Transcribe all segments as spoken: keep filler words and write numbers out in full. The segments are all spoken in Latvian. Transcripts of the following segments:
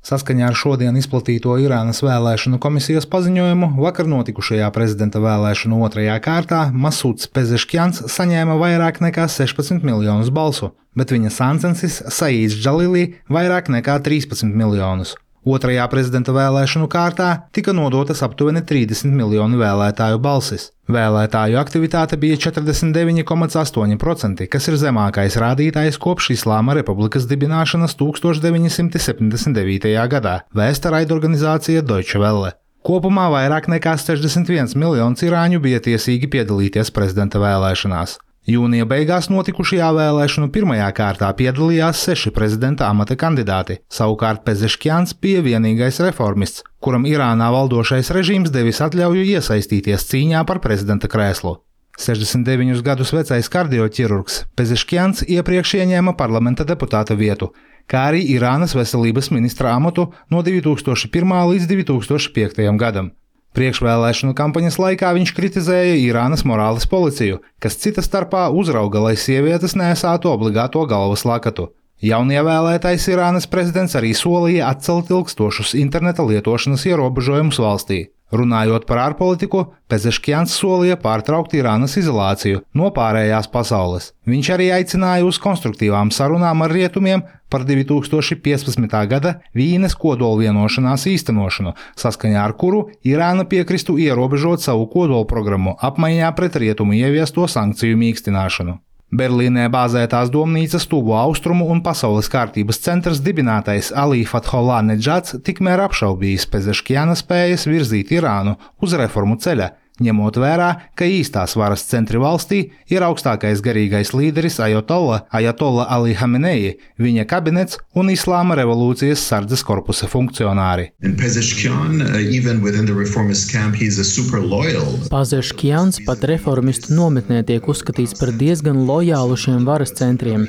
Saskaņā ar šodien izplatīto Irānas vēlēšanu komisijas paziņojumu, vakar notikušajā prezidenta vēlēšanu otrajā kārtā Masuds Pezeškjans saņēma vairāk nekā sešpadsmit miljonus balsu, bet viņa sāncensis Saīds Džalilī vairāk nekā trīspadsmit miljonus. Otrajā prezidenta vēlēšanu kārtā tika nodotas aptuveni trīsdesmit miljonu vēlētāju balsis. Vēlētāju aktivitāte bija četrdesmit deviņi komats astoņi procenti, kas ir zemākais rādītājs kopš Islāma Republikas dibināšanas tūkstoš deviņi simti septiņdesmit devītajā gadā, vēsta raidorganizācija Deutsche Welle. Kopumā vairāk nekā sešdesmit viens miljonus irāņu bija tiesīgi piedalīties prezidenta vēlēšanās. Jūnija beigās notikušajā vēlēšanu pirmajā kārtā piedalījās seši prezidenta amata kandidāti, savukārt Pezeškjans bija vienīgais reformists, kuram Irānā valdošais režīms devis atļauju iesaistīties cīņā par prezidenta krēslu. sešdesmit deviņus gadus vecais kardioķirurgs Pezeškjans iepriekš ieņēma parlamenta deputāta vietu, kā arī Irānas veselības ministra amatu no divi tūkstoši pirmā līdz divi tūkstoši piektajam gadam. Priekšvēlēšanu kampaņas laikā viņš kritizēja Irānas morāles policiju, kas cita starpā uzrauga, lai sievietes nesātu obligāto galvas lakatu. Jaunievēlētais Irānas prezidents arī solīja atcelt ilgstošus interneta lietošanas ierobežojumus valstī. Runājot par ārpolitiku, Pezeškjans solīja pārtraukt Irānas izolāciju no pārējās pasaules. Viņš arī aicināja uz konstruktīvām sarunām ar rietumiem par divi tūkstoši piecpadsmitā gada Vīnes kodolvienošanās īstenošanu, saskaņā ar kuru Irāna piekristu ierobežot savu kodolprogrammu apmaiņā pret rietumu ieviesto sankciju mīkstināšanu. Berlīnē bāzētās domnīcas Tuvu austrumu un pasaules kārtības centrs dibinātais Ali Fathollah Nedžads tikmēr apšaubījis Pezeškjana spējas virzīt Irānu uz reformu ceļa, ņemot vērā, ka īstās varas centri valstī ir augstākais garīgais līderis Ajatolla, Ajatolla Ali Hamenei, viņa kabinets un Islāma revolūcijas sardzes korpusa funkcionāri. Pezeškjans pat reformistu nometnē tiek uzskatīts par diezgan lojālu šiem varas centriem.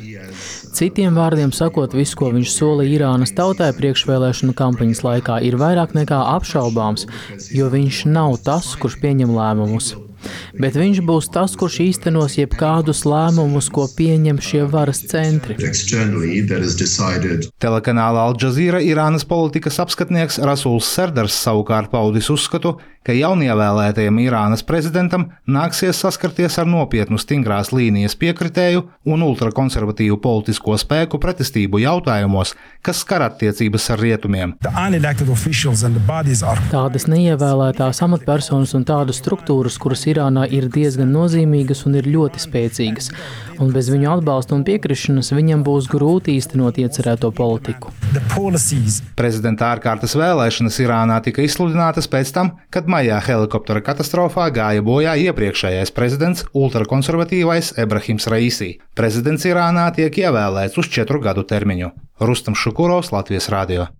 Citiem vārdiem sakot, viss, ko viņš solīja Irānas tautai priekšvēlēšanu kampaņas laikā, ir vairāk nekā apšaubāms, jo viņš nav tas, kurš pieņem lēmumus. Bet viņš būs tas, kurš īstenos jebkādus lēmumus, ko pieņem šie varas centri. Telekanāla Al Jazeera Irānas politikas apskatnieks Rasuls Serdars savukārt paudis uzskatu, ka jaunievēlētajam Irānas prezidentam nāksies saskarties ar nopietnu stingrās līnijas piekritēju un ultrakonservatīvu politisko spēku pretestību jautājumos, kas skar attiecības ar rietumiem. Tādas neievēlētās amatpersonas un tādas struktūras, kuras Irānā ir diezgan nozīmīgas un ir ļoti spēcīgas, un bez viņu atbalsta un piekrišanas viņam būs grūti īstenot iecerēto politiku. Prezidenta ārkārtas vēlēšanas Irānā tika izsludinātas pēc tam, kad maijā helikoptera katastrofā gāja bojā iepriekšējais prezidents ultrakonservatīvais Ebrahims Raisi. Prezidents Irānā tiek ievēlēts uz četru gadu termiņu. Rustam Šukurovs, Latvijas radio.